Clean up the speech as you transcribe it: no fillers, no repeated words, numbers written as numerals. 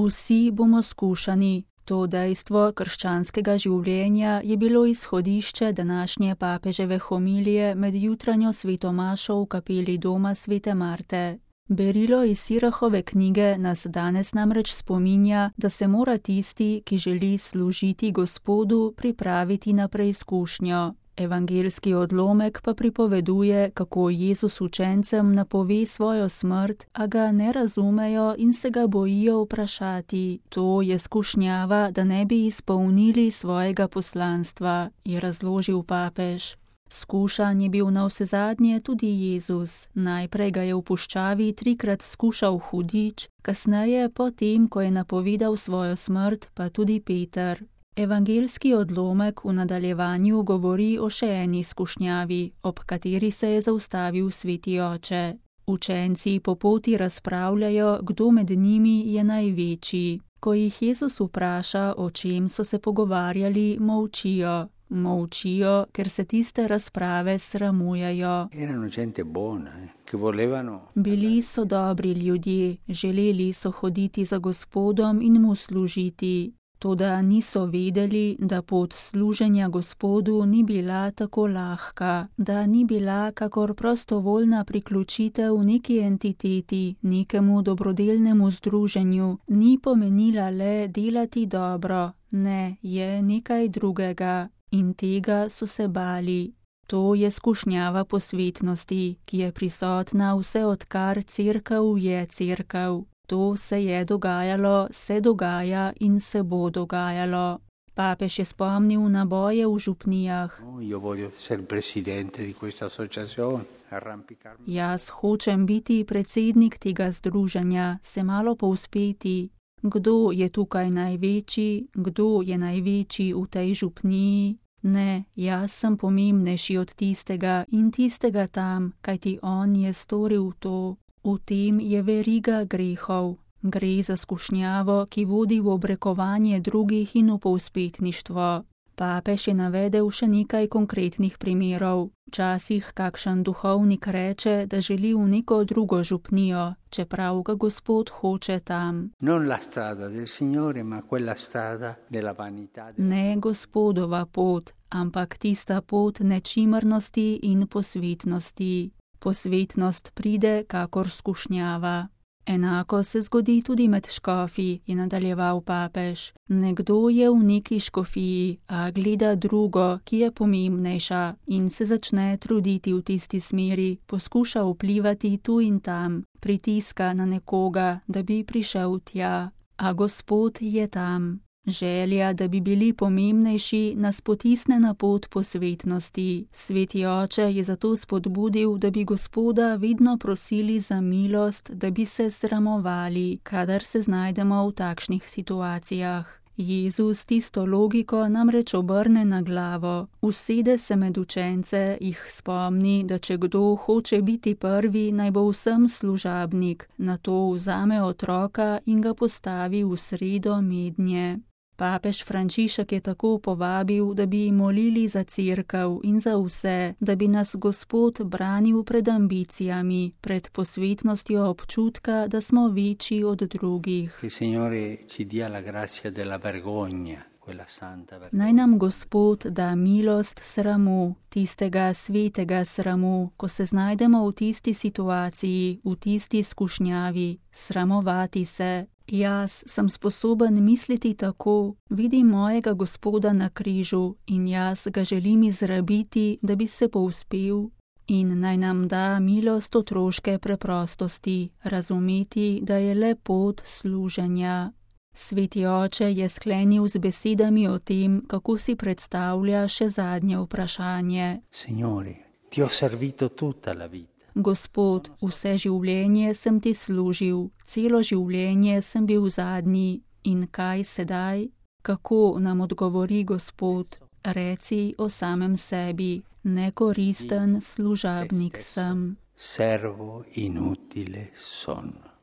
Vsi bomo skušani. To dejstvo krščanskega življenja je bilo izhodišče današnje papeževe homilije med jutranjo svetomašo v kapeli doma svete Marte. Berilo iz Sirahove knjige nas danes namreč spominja, da se mora tisti, ki želi služiti Gospodu, pripraviti na preizkušnjo. Evangeljski odlomek pa pripoveduje, kako Jezus učencem napove svojo smrt, a ga ne razumejo in se ga bojijo vprašati. To je skušnjava, da ne bi izpolnili svojega poslanstva, je razložil papež. Skušan je bil navsezadnje tudi Jezus. Najprej ga je v puščavi 3-krat skušal hudič, kasneje, potem, ko je napovedal svojo smrt, pa tudi Peter. Evangeljski odlomek v nadaljevanju govori o še eni skušnjavi, ob kateri se je zaustavil sveti oče. Učenci po poti razpravljajo, kdo med njimi je največji. Ko jih Jezus vpraša, o čem so se pogovarjali, molčijo. Molčijo, ker se tiste razprave sramujejo. Bili so dobri ljudje, želeli so hoditi za Gospodom in mu služiti. Toda niso vedeli, da pot služenja Gospodu ni bila tako lahka, da ni bila kakor prostovoljna priključitev neki entiteti, nekemu dobrodelnemu združenju, ni pomenila le delati dobro, ne, je nekaj drugega. In tega so se bali. To je skušnjava posvetnosti, ki je prisotna vse odkar cerkev je cerkev. To se je dogajalo, se dogaja in se bo dogajalo. Papež je spomnil na boje v župnijah. Jaz hočem biti predsednik tega združenja, se malo povzpeti. Kdo je tukaj največji, kdo je največji v tej župniji? Ne, jaz sem pomembnejši od tistega in tistega tam, kajti on je storil to. V tem je veriga grehov. Gre za skušnjavo, ki vodi v obrekovanje drugih in v povzpetništvo. Papež je navedel še nekaj konkretnih primerov. Včasih kakšen duhovnik reče, da želi v neko drugo župnijo, čeprav ga Gospod hoče tam. Ne Gospodova pot, ampak tista pot nečimrnosti in posvetnosti. Posvetnost pride kakor skušnjava. Enako se zgodi tudi med škofi, je nadaljeval papež. Nekdo je v neki škofiji, a gleda drugo, ki je pomembnejša in se začne truditi v tisti smeri, poskuša vplivati tu in tam, pritiska na nekoga, da bi prišel tja. A Gospod je tam. Želja, da bi bili pomembnejši, nas potisne na pot posvetnosti. Sveti oče je zato spodbudil, da bi Gospoda vedno prosili za milost, da bi se sramovali, kadar se znajdemo v takšnih situacijah. Jezus tisto logiko namreč obrne na glavo, usede se med učence, jih spomni, da če kdo hoče biti prvi, naj bo vsem služabnik, nato vzame otroka in ga postavi v sredo mednje. Papež Frančišek je tako povabil, da bi molili za cerkev in za vse, da bi nas Gospod branil pred ambicijami, pred posvetnostjo občutka, da smo večji od drugih. Naj nam Gospod da milost sramu, tistega svetega sramu, ko se znajdemo v tisti situaciji, v tisti skušnjavi, sramovati se. Jaz sem sposoben misliti tako, vidim mojega Gospoda na križu in jaz ga želim izrabiti, da bi se povzpel. In naj nam da milost otroške preprostosti, razumeti, da je le pot služenja. Sveti oče je sklenil z besedami o tem, kako si predstavlja še zadnje vprašanje. Signore, ti ho servito tutta la vita. Gospod, vse življenje sem ti služil, celo življenje sem bil zadnji. In kaj sedaj? Kako nam odgovori Gospod? Reci o samem sebi, nekoristen služabnik sem. Servo inutile sono.